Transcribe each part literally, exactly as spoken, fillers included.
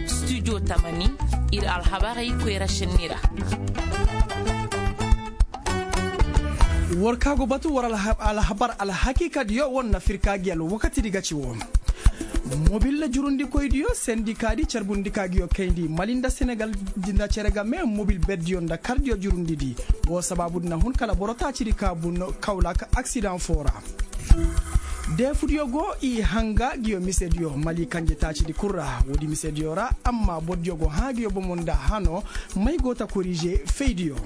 Studio tamani, ir alhabarey koyra šenni ra. War ka go batu war alhabar alhakiikadiyo war na firka gi alwakatidi ga ci woo. Mobil jurundikoydiyo sendikaadi carbundi ka giyo kayndi mali nda senegal nda cere game mobil berdiyo nda kardiyo jurundidi. Woo sabaabudi na hun kala boro taacidi ka bun kawlak aksidan foo ra. Deefudiyo go i hanga giyo misediyo mali kanje taacidi kul ra woodi misediyo ra. Amma bordiyo go hã giyo bomo nda hano may go ta korize faydiyo.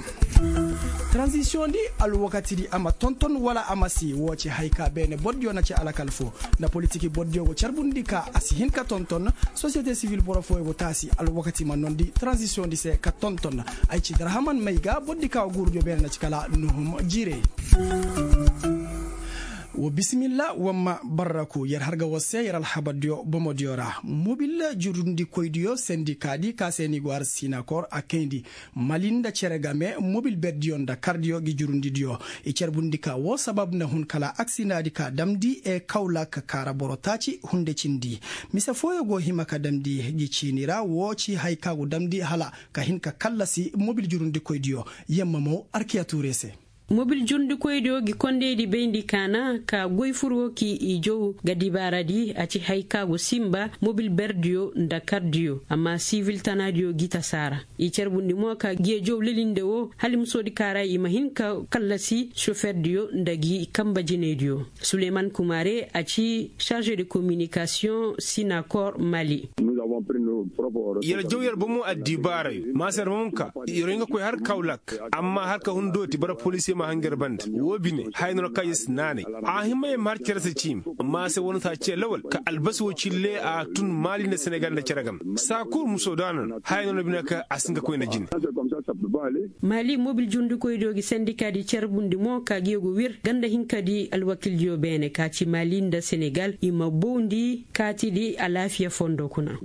Taranzisiyondi alwakatidi a ma tonton wala a ma si woo ci hay ka beene bordiyo na ci alakal foo. Nda politiki bordiyo go carbundi ka a si hin ka tonton. Sosiyete sivil boro fooyo go taasi alwakati ma nondi taranzisiyondi se ka tonton. Ay ci darhaman may ga bordi ka guurudiyo beene na ci kala nuhum jiire. Wa bisimilla wamma barraku yer har ga war se yer alhabardiyo bomodiyo ra. Mobil jurundikoydiyo sendikaadi ka se ni go har sinakor a kayndi mali nda cere game mobil berdiyo nda kardiyo gi jurundidiyo. I carbundi ka woo sabab na hun kala aksidaadi ka damndi e kawla ka kaara boro taaci hunde cindi. Mise fooyo go hima ka damndi gi ciini ra woo ci hay ka go damndi hala ka hin ka kallasi mobil jurundikoydiyo. Yamma mo arkiya tuure se. Mobil jurundikoydiyo gi kondeydi bayndi kaana ka goy fur woo ki i jaw ga dibaaradi a ci hay ka go sinba mobil berdiyo nda kardiyo amma sivil tanaadiyo gi tasaara. I carbundi mo ka gi i jaw lelinde woo hala i ma soodi kaara i ma hin ka kallasi soferdiyo nda gi kamba jinaydiyo. Suleyman kumare a ci sarže de kominikasiyoŋ sinakor mali. Yer jaw yer bomo addibaarayo maasa yer ma hun ka yer hin ka koy har kawlak. Amma har ka hun dooti bara polisiye ma hanga yer banda woo bine haya no ra ka yer si naanay. A hima yer ma har cere se ciimi. Maasa woo na si a cee lawal ka albasi woo cille a tun maali nda senegal nda cere game saa kul muso daana no haya no na bine ka a si hin ka koy nda jine. Mali mobil jurundikoydiyo gi sendikaadi carbundi mo ka gi yer go wir ganda hinkadi alwakildiyo beene ka ci mali nda senegal i ma bowndi kaatidi alaafiya fondo kuna.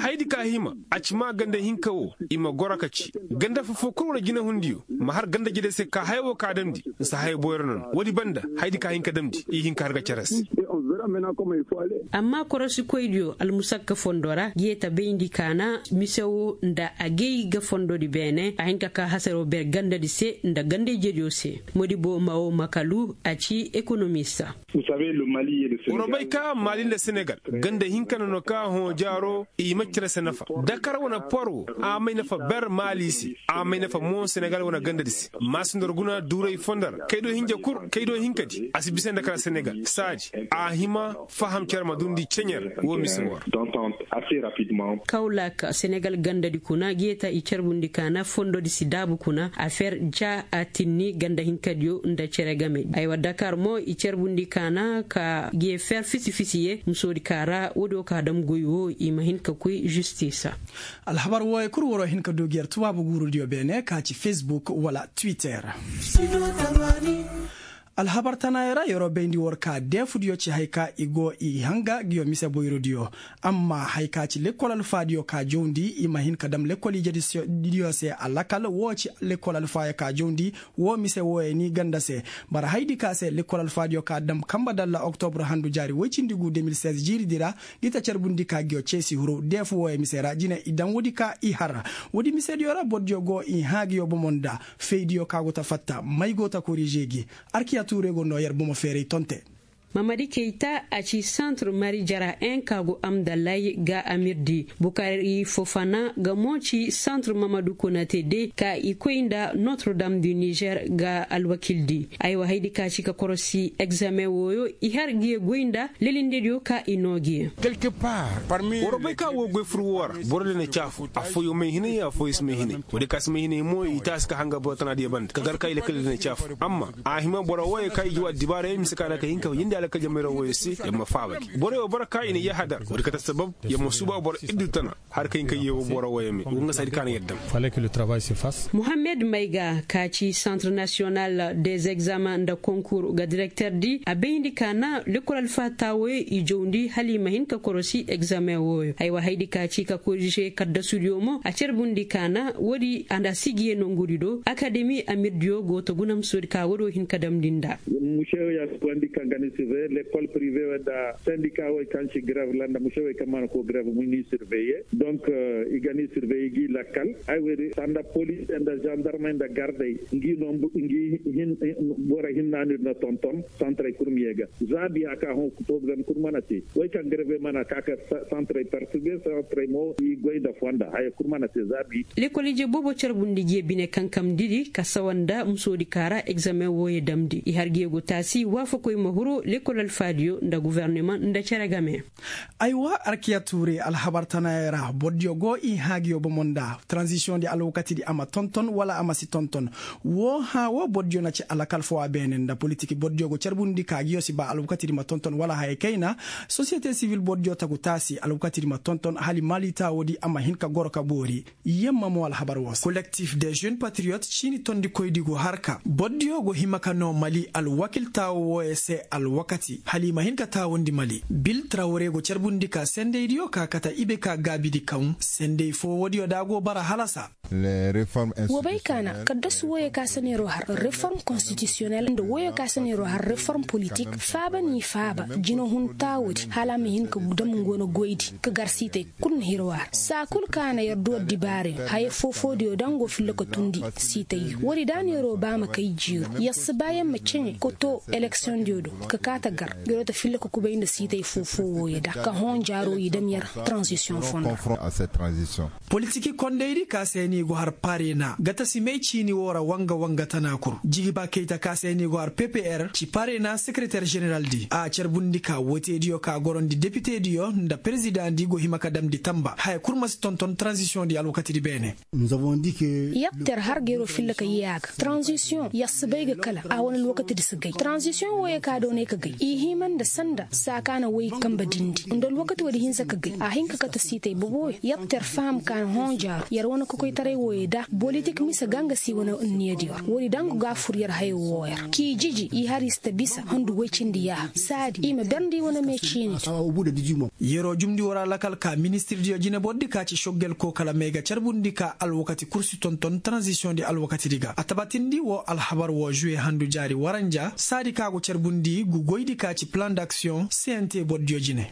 Hayadi ka hima a ci maa ganda hinka woo i ma goro ka ci ganda foo foo kul wane jinehundiyo ma har ganda jede se ka haya woo ka damndi nsa haya boyro nono woodi banda hayadi ka hin ka damndi i hin ka har ga cere se. Amma korosikoydiyo almusakka fondo ra gi yee ta bayndi kaana mise woo nda a gay ga fondodi beene a hin ka kaa hasaroo ber gandadi se nda ganda ijediyo se. Modibo mawo makalu a ci ekonomista. War bay ka maali nda senegal ganda hinka nono ka hõ jaaro i ma cere se nafa dakar wane por wo a may nafa ber maali se a may nafa mo senegal wane gandadi se. Maasindor guna duuray fondo ra kaydo hinja kul kaydo hinkadi a si bisa nda kala senegal saadi a hima faham cere ma dundi ceɲer woo mise woo ra. Kawlak senegal gandadi kuna gi yee ta i carbundi kaana fondodi si daabu kuna a fer ja a tinni ganda hinkadiyo nda cere game aywa dakar mo i carbundi kaana ka gi yee fer fisi fisi ye musoodi ka ra woodiyo ka dam goy woo i ma hin ka koy zistisa. Alhabar wooyo kul waroo hin ka du gi yer tubaabu guurudiyo beene ka ci fesbuk wala twitter. Alhabar tanaayo ra yeroo bayndi war ka deefudiyo ci hay ka i go i hanga ngiyo mise boyrodiyo. Amma hay ka ci lekkol alfaadiyo ka jawndi i ma hin ka dam lekkol ijediyo se a lakal woo ci lekkol alfaayo ka jawndi. Woo mise wooyo ni ganda se bara hayadi ka se lekkol alfaadiyo ka dam kamba dalla oktobur handu jaari woy cindi gu deux mille seize jiiridi ra. Ngi ta carbundi ka ngiyo ceesi huru deefu wooyo mise ra jine i dam woodi ka i har woodi misediyo ra bordiyo go i hã ngiyo bomo nda feydiyo ka go ta fatta may go ta korize gi. Arkiya tuure go noo yer bomo feeray tonte. Mamadi keyta a ci santre mari jara en ka go amdalay ga amirdi bukari fofana ga mo ci santre mamadu konate de ka i koy nda notre dame du niger ga alwakildi. Aywa haydi ka ci ka korosi egzamen wooyo i har gi ye goy nda lelindediyo ka i noo gi ye. War bay ka woo goy fur woo ra boro de na caafu afooyo may hinay afooyo si may hinay. Woodi ka si may hinay mo i taasi ka hanga boro tanaadiyo banda ka gar ka i lakkal de na caafu amma a hima boro wooyo ka i jaw addibaarayo mise ka na ka hin ka yindi alakal jamayra wooyo se yer ma faaba gi boro wooyo boro ka i na yahadar woodi kate sabab yer ma suuba boro iddu tana. Har ka hin ka yeewo boro wooyo me wo nga saadi ka na yer dam. Muhammed mayga ka ci centre national des examens nda konkur ga direkterdi a bayndi ka na lekkol alfaha taawoyo i jawndi hala i ma hin ka korosi egzamen wooyo haywa haydi ka ci ka korije kaddasudiyo mo a carbundi ka na woodi a nda sigiye nongudi do akademi amirdiyo go ta guna ma soodi ka woodiyo hin ka damndi nda. Lekol prive wey nda sendika wey kaŋ si grev ra nda muse wey kaŋ mana koy grev ma ni surveye. Donk i ga ni surveye gi lakkal. Ay wey di sanda polis nda zandarmey nda gardey ngi no ngi, boro hinna no ir na tonton santaray kurmiye ga. Za biya ka hõ problem kul mana te. Wey kaŋ greve mana ka ka santaray perturbe santaray mo i goy nda fonda haya kul mana te za bi. Lekol ije boobo carbundi jiya bine kankamndi di ka sawa nda musoodi kaara egzamen wooyo damndi i har gi yago taasi waafakoy ma huru lekol alfaadiyo nda gofornama nda cere game. Aywa arkiya tuure alhabar tanayaŋ ra bordiyo go i hã gi yo bomo nda tranzisiyoŋ di alwakati di a ma tonton wala a ma si tonton. Woo hã woo bordiyo na ci alakal foo a beene nda politik bordiyo go carbundi ka gi yo si ba alwakati di ma tonton wala haya kayna. Sosiyete sivil bordiyo tagu taasi alwakati di ma tonton hala mali taawo di a ma hin ka goro ka boori. Yamma mo alhabar woo se kolektif de žeune patriyot ciini tondikoydi go har ka bordiyo go hima ka noo mali alwakil taawo wooyo se alwakati hala i ma hin ka taawundi mali bil trawre go carbundi ka sendaydiyo ka kate ibe ka gaabidi kaŋ senday foo woodiyo da a go bara halasa. Wa bay ka na kaddasu wooyo ka se neeroo har reform konstitisiyonel nda wooyo ka se neeroo har reform politik faaba n'i faaba jinahun taawoodi hala a ma hin ka dam ngu wane goydi ka gar siitay kul na hirwa ra saa kul ka na yer du addibaarey haya foofoodiyo da nga go filla ka tundi siitayyo woodi da neeroo ba ma kay jiiru yer si ba yer ma ceɲe ka too eleksiyondiyo do ka kaa ta gar yeroo ta filla ka kubay nda siitay foofoo wooyo da ka hõ jaaroo i dam yer. Transisiyoŋ fondo. Politiki kondaydi ka se ni go har parena gatasimey ciini woo ra wanga wanga tana kul jigiba kayta ka se ni go har ppr ci parena sekereter ženeral di a carbundi ka woteediyo ka gorondi depitediyo nda perezidaŋ di go hima ka damndi tamba haya kul ma si tonton taranzisiyoŋ di alwakati di beene. Yattar har gayro filla ka yee a ga taranzisiyoŋ yar si bay ga kala a wane alwakati di si gay taranzisiyoŋ wooyo ka doonay ka gay i hima nda sanda saa ka na way kanbe dindi nda alwakati woodi hinsa ka gay a hin ka kate siitay boboyo yattar faham ka na hõ jaaru yar wane kokoytaray wooyo da bolitik mise ga nga se wane niyadiyo ra woodi da nga go a fur yar hayo wooyo ra k'i jiji i har i si ta bisa handu woy cindi yaaha saadi i ma berndi wane me ciini. Yeroo jumndi war alakal ka ministirdiyo jinebor di ka ci soggel koo kala may ga carbundi ka alwakati kul si tonton taranzisiyoŋ di alwakati di ga a tabatindi woo alhabar woo žuwe handu jaari waranja saadi ka go carbundi gu goy di ka ci plan d'aksiyoŋ cnt bordiyo jine.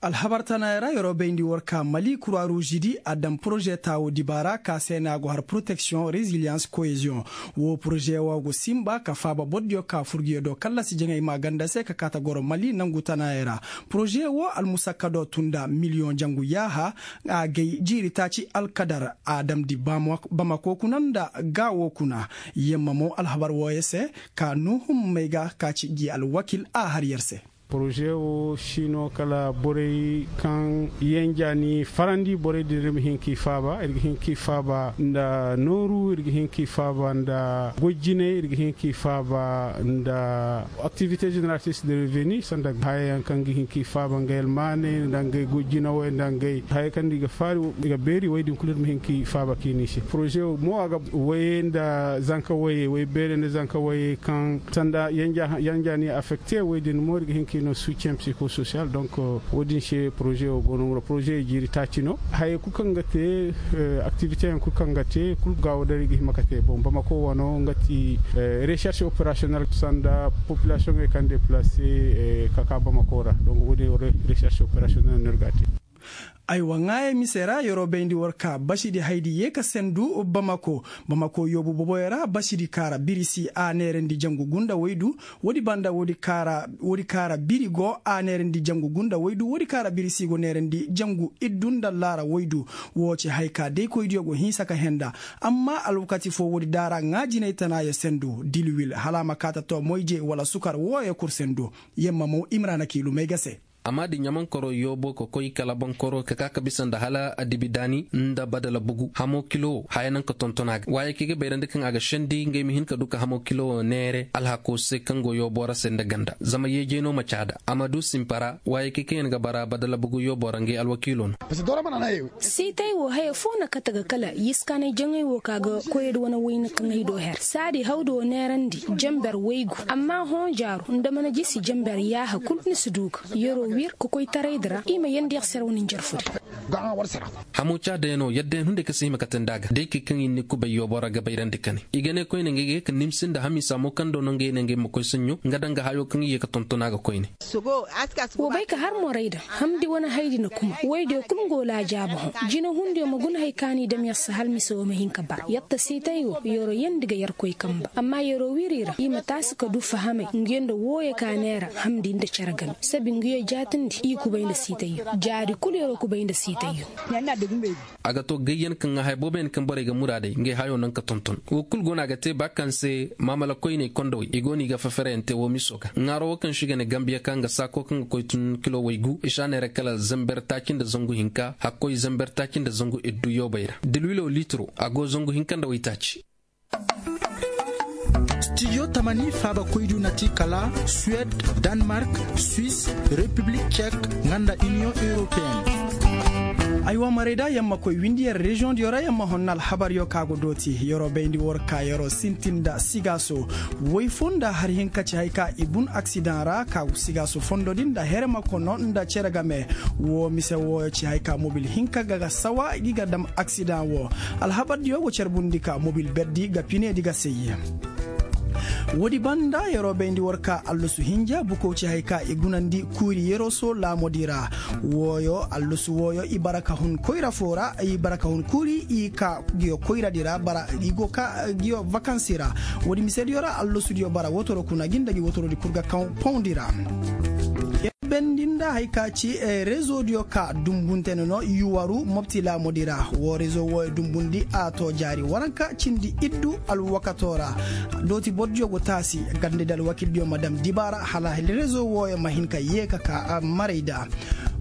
Alhabar tanayaŋ ra yeroo bayndi war ka mali kura ruuzi di a daŋ poroze taawo dibaara ka se no a go har poroteksiyoŋ reziliyans koyeziyoŋ. Woo poroze woo go sinba ka faaba bordiyo ka furgiyo do kallasi jaŋay maaganda se ka kaata goro mali nangu tanayaŋ ra. Poroze woo almusakkadoo tun nda miliyoŋ jangu yaaha a gay jiiri taaci alkadar a damndi bamako kuna nda gaawo kuna. Yamma mo alhabar wooyo se ka nuhum may ga ka ci gi alwakil a har yer se. Poroze woo si no kala borey kaŋ yenja ni farandi borey din ir ma hin k'i faaba ir ga hin k'i faaba nda nooru ir ga hin k'i faaba nda goy jinay ir ga hin k'i faaba nda aktivite ženeratrice de reveni sanda hayayaŋ kaŋ ga hin k'i faaba ngey almaaney nda ngey goy jinawey nda ngey hayey kaŋ nda i ga faari i ga beeri wey din kulu ir ma hin k'i faaba k'i n'i se poroze woo mo a ga wayey nda zanka wayey way beerey nda zanka wayey kaŋ sanda yanja ni affekte wey din mo ir ga hin k'i no succem psiko sosiyal donk woo din se poroze woo go no mura poroze jiiri taaci no hayey kul kaŋ ga te aktivite yaŋ kul kaŋ ga te kul gaawo da ir ga hima ka te boŋ bamako wano nga ti recherche operasiyonel sanda populasiyoŋey kaŋ deplase ka ka bamako ra donk woo din recherche operasiyonel no ir ga a te. Aywa ŋaayey mise ra yeroo bayndi war ka basidi haydi yee ka sendu bamako. Bamako yoobu boboyo ra basidi kaara birisi a neerandi jangu gunda waydu. Woodi banda woodi kaara biri go a neerandi jangu gunda waydu woodi kaara birisi go neerandi jangu iddu nda laara waydu. Woo ci hay ka daykoydiyo go hinsa ka henda. Amma alwakati foo woodi daara ŋaa jinay tanaayo sendu dilwil hala a ma kaa ta too moyje wala sukar wooyo kul sendu. Yamma mo imrana kiilumey ga se. Amma da ɲamankoroo yoobo ka koy kala bonkoro ka ka ka bisa nda hala adibidaani nda badala bugu hamoo kilo wo haya naŋ ka tonton a ga waayey kaŋ i ga bayrandi kaŋ a ga sendi ngey ma hin ka du ka hamoo kilo wo neere alhakoo se kaŋ go yoobo ra se nda ganda zama yeejey no ma caada a ma du simpa ra waayey kaŋ yaŋ ga bara badala bugu yoobo ra ngey alwakiiloo no. Siitay wo haya foo na kate ga kala yiskaanay jaŋay wo ka ga koyey nda wane wayna kaŋ ay do her saadi hawdi wo neerandi jamber waygu amma hõ jaaru nda mana jisi jamber yaaha kul ni si du ga yeroo. Wir ka koy taraydi ra i ma yandi yer se ra wane njarfudi. Hamu ca dayano yadda yaŋ hunday ka se hima kate nda a ga day kay kaŋ i ni kubay yooboo ra ga bayrandi kane i ga ne koyne nga ga ye ka nimsi nda hamisa mo kaŋ do no nga ye ne nga ay ma koy saɲɲo nga daŋ ga hayo kaŋ i ye ka tonton a ga koyne. Wa bay ka har moray daŋ hamdi wane haydi na kuma woydiyo kul nga go laajaabu hõ. Jinahundiyo ma guna hay ka ni dam yer se hala mise wo ma hin ka bara yer ta siitay wo yeroo yandi ga yerkoy kamba amma yeroo wiri ra i ma taasi ka du fahamay nguyo nda wooyo ka neera hamdi nda cere game sabi nguyo jaatindi i kubay nda siitayyo jaari kul yeroo kubay nda siitayyo. A ga to gayyan kaŋ ga haya booboyaŋ kaŋ borey ga muraaday ngey hayo naŋ ka tonton wo kul go no a ga te ba kaŋ se maamala koyney kondowey i go no i ga fafereyaŋ te wo miso ga ŋaaro wo kaŋ se i ga ne gambiya ka nga saako kaŋ ga koy tun kilo waygu i si a neera kala zamber taaci nda zangu hinka hakkoy zamber taaci nda zangu iddu yoobey ra dilwilo liitiro a go zangu hinka nda waytaaci. Stijo tamani faabakoydiyo na ti kala suwed, danmark, swis, repiblik cek, nga nda iniyoŋ europeen. Ay wa marayda yer ma koy windi yer reziyoŋdiyo ra yer ma honna alhabaryo ka go dooti yeroo bayndi war ka yeroo sintin nda sigaaso. Woy foo nda har hinka ci hay ka i bun aksidaŋ ra ka sigaaso fondodi nda herema kono nda cere game. Woo mise wooyo ci hay ka mobil hinka ga ga sawa gi ga dam aksidaŋ woo. Alhabardiyo go carbundi ka mobil berdi ga pineedi ga sey. Woodi banda yeroo bayndi war ka allasu hinja bukow ci hay ka i gunandi kuuri yeroo soo laamodi ra. Wooyo allasu wooyo i bara ka hun koyra foo ra i bara ka hun kuuri i ka ngiyo koyradi ra bara i go ka ngiyo vakansi ra. Woodi misediyo ra allasudiyo bara wotoro kuna gi nda gi wotorodi kul ga kaŋ pawndi ra. Bendinda hay ka ci rezo diyo ka dumbunte nono yuwaru mopti laamodi ra. Woo rezo wooyo dumbundi a to jaari waranka cindi iddu alwakato ra. Dooti boro diyo go taasi ganda di alwakil diyo ma dam dibaara hala rezo wooyo ma hin ka yee ka ka marayda.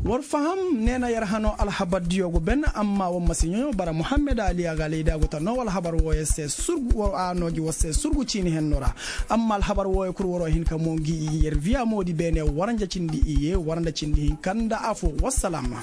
War faham neena yer hano alhabar diyo go ben amma war ma si ɲoɲo bara muhammed ali a ga alayda go ta noo alhabar wooyo se surgu war a noo gi war se surgu ciini henno ra. Amma alhabar wooyo kul waroo hin ka moo ngi i yer viya moodi beene waranja cindi iye waranja cindi hinka nda afo wassalam.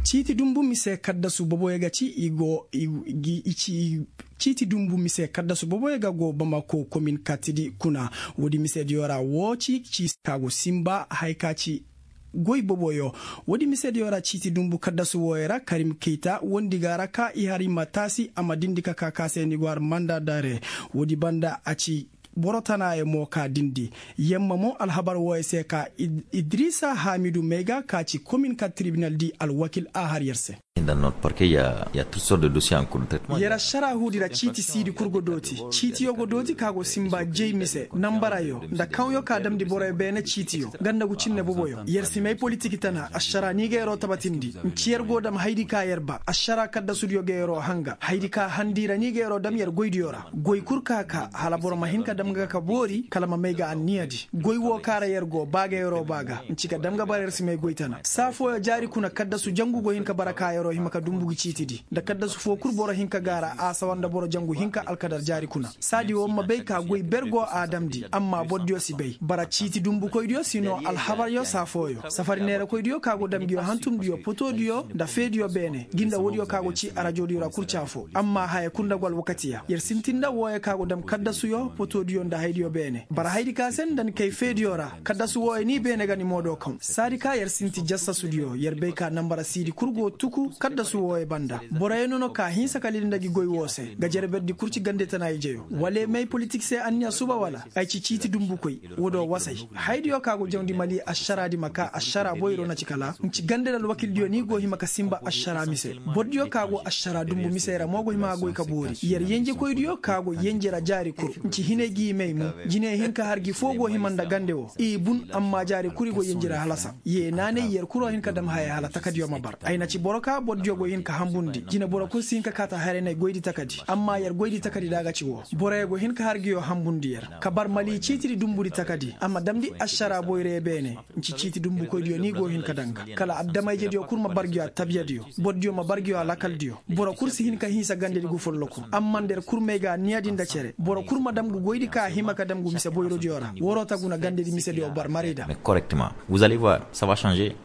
Ciiti dunbu mise kaddasu boboyo ga ci i go i ci i ciiti dunbu mise kaddasu boboyo ga go bamako komin katidi kuna. Woodi misediyo ra woo ci ci ka go sinba hay ka ci goy boboyo. Woodi misediyo ra ciiti dunbu kaddasu wooyo ra karim keyta wondi ga ra ka i har i ma taasi a ma dindi ka ka ka se ni go har manda dare. Woodi banda a ci boro tanaayo mo ka dindi. Yamma mo alhabar wooyo se ka idrisa hamidu may ga ka ci komin ka tribinal di alwakil a har yer se. Yer ašara huudi ra ciiti siidi kul go dooti ciitiyo go dooti ka go sinba jey mise nambarayo nda kawyo ka damndi boroyo beene ciitiyo ganda gu cinne boboyo yer si may politik tana ašara ni ga yeroo tabatindi nci yer go dam haydi ka yer ba ašara kaddasudiyo ga yeroo hanga haydi ka handi ra ni ga yeroo dam yer goydiyo ra. Goy kul ka ka hala boro ma hin ka dam ga ka boori kala ma may ga anniyadi. Goy woo ka ra yer go ba ga yeroo ba ga nci ka dam ga bara yer si may goy tana saa fooyo jaari kuna kaddasu jangu go hin ka bara ka yeroo hima ka dunbu gi ciitidi nda kaddasu foo kul boro hin ka gaara a sawa nda boro jangu hinka alkadar jaari kuna. Saadi woo ma bay ka goy ber go a damndi amma bordiyo si bay bara ciiti dunbukoydiyo si noo alhabaryo saa fooyo safari neerakoydiyo ka go dam nguyo hantumdiyo potoodiyo nda feediyo beene gi nda woodiyo ka go ci arajodiyo ra kul ci afoo amma haya kul nda go alwakatiya yer sintin nda wooyo ka go dam kaddasuyo potoodiyo nda haydiyo beene bara haydi ka se nda ni kay feediyo ra. Kaddasu wooyo ni beene ga ni moodoo kaw saadi ka yer sinti jassasudiyo yer bay ka nambara siidi kul go tuku kaddasu wooyo banda. Boroyo nono ka hinsa ka lili nda gi goy woo se ga jerberdi kul ci gande tana ijeyo wala ay may politik se anniya suba wala ay ci ciiti dunbukoy. Woodoo wasay haydiyo ka go jawndi mali ašaraadi ma ka ašara boyro na ci kala nci gande nda alwakildiyo ni go hima ka sinba ašara mise. Bordiyo ka go ašara dunbu misey ra mo go hima ka goy ka boori yer yenjekoydiyo ka go yenje ra jaari kul nci hinay gi may mo. Jinay hinka har gi foo go hima nda gande woo i bun amma jaari kul i go yenje ra halasa. Yee naanay yer kuloo hin ka dam haya hala takadiyo ma bar ay na ci boro ka bordiyo go hin ka hanbundi jine boro kul si hin ka kaata haray nay goydi takadi amma yer goydi takadi da a ga ci woo boroyo go hin ka har nguyo hanbundi yer ka bar mali ciitidi dunbudi takadi a ma damndi ašara boyroyo beene. Nci ciiti dunbukoydiyo ni go hin ka daŋ ga kala addamayjediyo kul ma bar nguyo attabiyadiyo bordiyo ma bar nguyo alakaldiyo. Boro kul si hin ka hinsa gandedi gu folloku amma nda yer kul may ga anniyadi nda cere boro kul ma dam gu goydi ka a hima ka dam gu mise boyrodiyo ra waroo ta guna gandedi misediyo bar marayda. Correctement vous allez voir ça va changer.